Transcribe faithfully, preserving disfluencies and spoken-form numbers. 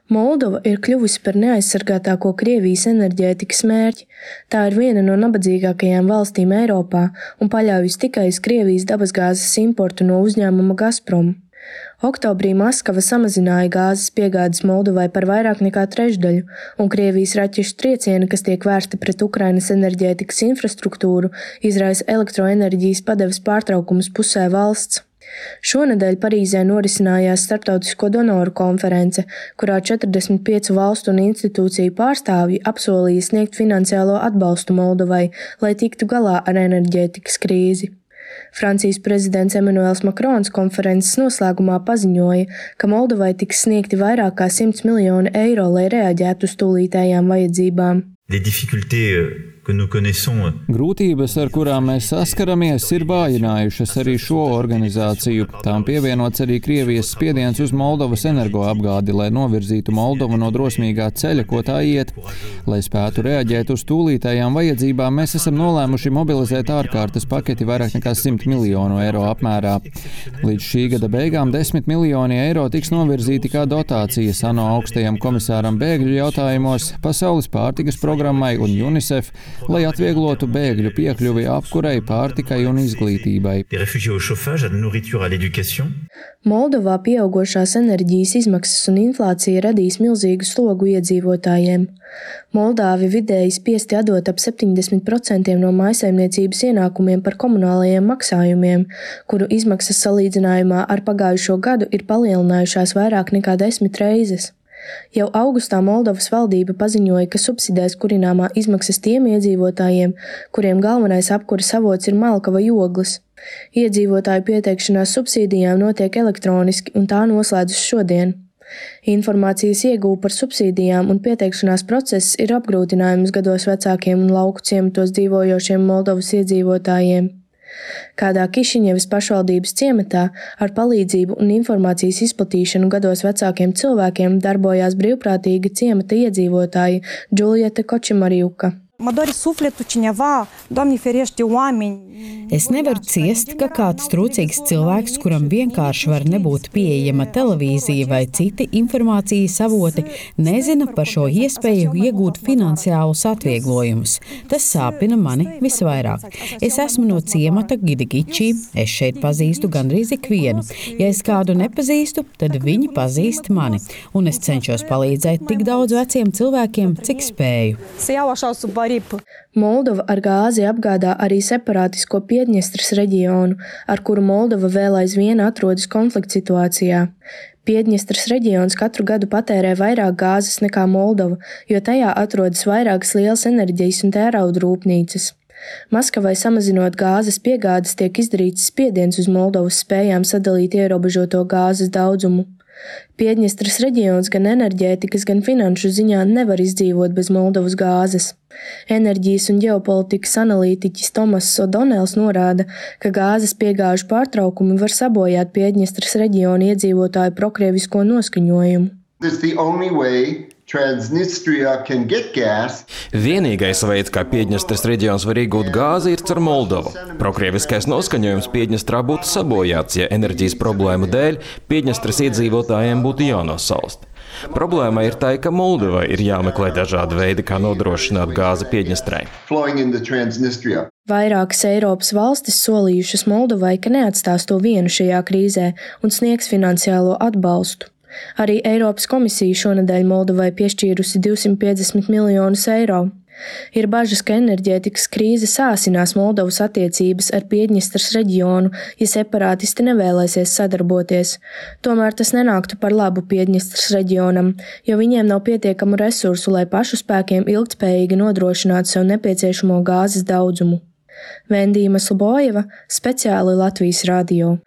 Moldova ir kļuvusi par neaizsargātāko Krievijas enerģētikas mērķi. Tā ir viena no nabadzīgākajām valstīm Eiropā un paļaujas tikai uz Krievijas dabasgāzes importu no uzņēmuma Gazprom. Oktobrī Maskava samazināja gāzes piegādes Moldovai par vairāk nekā trešdaļu, un Krievijas raķešu triecieni, kas tiek vērsti pret Ukrainas enerģētikas infrastruktūru, izraisa elektroenerģijas padeves pārtraukumus pusē valsts. Šonedēļ Parīzē norisinājās starptautisko donoru konference, kurā četrdesmit piecu valstu un institūciju pārstāvji apsolīja sniegt finansiālo atbalstu Moldovai, lai tiktu galā ar enerģētikas krīzi. Francijas prezidents Emmanuels Macrons konferences noslēgumā paziņoja, ka Moldovai tiks sniegti vairāk kā simts miljoni eiro, lai reaģētu uz tūlītējām vajadzībām. Grūtības, ar kurām mēs saskaramies, ir vājinājušas arī šo organizāciju. Tām pievienots arī Krievijas spiediens uz Moldovas energoapgādi, lai novirzītu Moldovu no drosmīgā ceļa, ko tā iet. Lai spētu reaģēt uz tūlītējām vajadzībām, mēs esam nolēmuši mobilizēt ārkārtas paketi vairāk nekā simt miljonu eiro apmērā. Līdz šī gada beigām desmit miljoni eiro tiks novirzīti kā dotācijas ANO augstajam komisāram bēgļu jautājumos, Pasaules pārtikas programmai un UNICEF, lai atvieglotu bēgļu piekļuvi apkurei, pārtikai un izglītībai. Moldovā pieaugošās enerģijas izmaksas un inflācija radīs milzīgu slogu iedzīvotājiem. Moldāvi vidēji spiesti atdot ap septiņdesmit procenti no mājsaimniecības ienākumiem par komunālajiem maksājumiem, kuru izmaksas salīdzinājumā ar pagājušo gadu ir palielinājušās vairāk nekā desmit reizes. Jau augustā Moldovas valdība paziņoja, ka subsidēs kurināmā izmaksas tiem iedzīvotājiem, kuriem galvenais apkuras avots ir malka vai ogles. Iedzīvotāju pieteikšanās subsīdijām notiek elektroniski, un tā noslēdzas šodien. Informācijas iegūve par subsīdijām un pieteikšanās process ir apgrūtinājums gados vecākiem un lauku ciematos dzīvojošiem Moldovas iedzīvotājiem. Kādā Kišiņevas pašvaldības ciematā ar palīdzību un informācijas izplatīšanu gados vecākiem cilvēkiem darbojās brīvprātīga ciemata iedzīvotāja Džuljeta Kočimarjuka. Es nevaru ciest, ka kāds trūcīgs cilvēks, kuram vienkārši var nebūt pieejama televīzija vai citi informācijas avoti, nezina par šo iespēju iegūt finansiālus atvieglojumus. Tas sāpina mani visvairāk. Es esmu no ciemata Gidigičī, es šeit pazīstu gandrīz ikvienu. Ja es kādu nepazīstu, tad viņi pazīst mani, un es cenšos palīdzēt tik daudz veciem cilvēkiem, cik spēju. Moldova ar gāzi apgādā arī separātisko Piedņestras reģionu, ar kuru Moldova vēl aizvien atrodas konflikta situācijā. Piedņestras reģions katru gadu patērē vairāk gāzes nekā Moldova, jo tajā atrodas vairākas lielas enerģijas un tērauda rūpnīcas. Maskavai samazinot gāzes piegādes tiek izdarīts spiediens uz Moldovas spējām sadalīt ierobežoto gāzes daudzumu. Piedņestras reģions gan enerģētikas, gan finanšu ziņā nevar izdzīvot bez Moldovas gāzes. Enerģijas un ģeopolitikas analītiķis Tomas O'Donnells norāda, ka gāzes piegāžu pārtraukumi var sabojāt Piedņestras reģiona iedzīvotāju prokrievisko noskaņojumu. Vienīgais veids, kā Piedņestras reģions var iegūt gāzi, ir caur Moldovu. Prokrieviskais noskaņojums Piedņestrā būtu sabojāts, ja enerģijas problēmu dēļ Piedņestras iedzīvotājiem būtu jānosalst. Problēma ir tā, ka Moldovai ir jāmeklē dažādi veidi, kā nodrošināt gāzi Piedņestrai. Vairākas Eiropas valstis solījušas Moldovai, ka neatstās to vienu šajā krīzē un sniegs finansiālo atbalstu. Arī Eiropas komisija šonedēļ Moldovai piešķīrusi divsimt piecdesmit miljonus eiro. Ir bažas, ka enerģētikas krīze sāsinās Moldovas attiecības ar Piedņestras reģionu, ja separātisti nevēlēsies sadarboties. Tomēr tas nenāktu par labu Piedņestras reģionam, jo viņiem nav pietiekamu resursu, lai pašu spēkiem ilgtspējīgi nodrošinātu sev nepieciešamo gāzes daudzumu. Vendīma Slobojeva, speciāli Latvijas radio.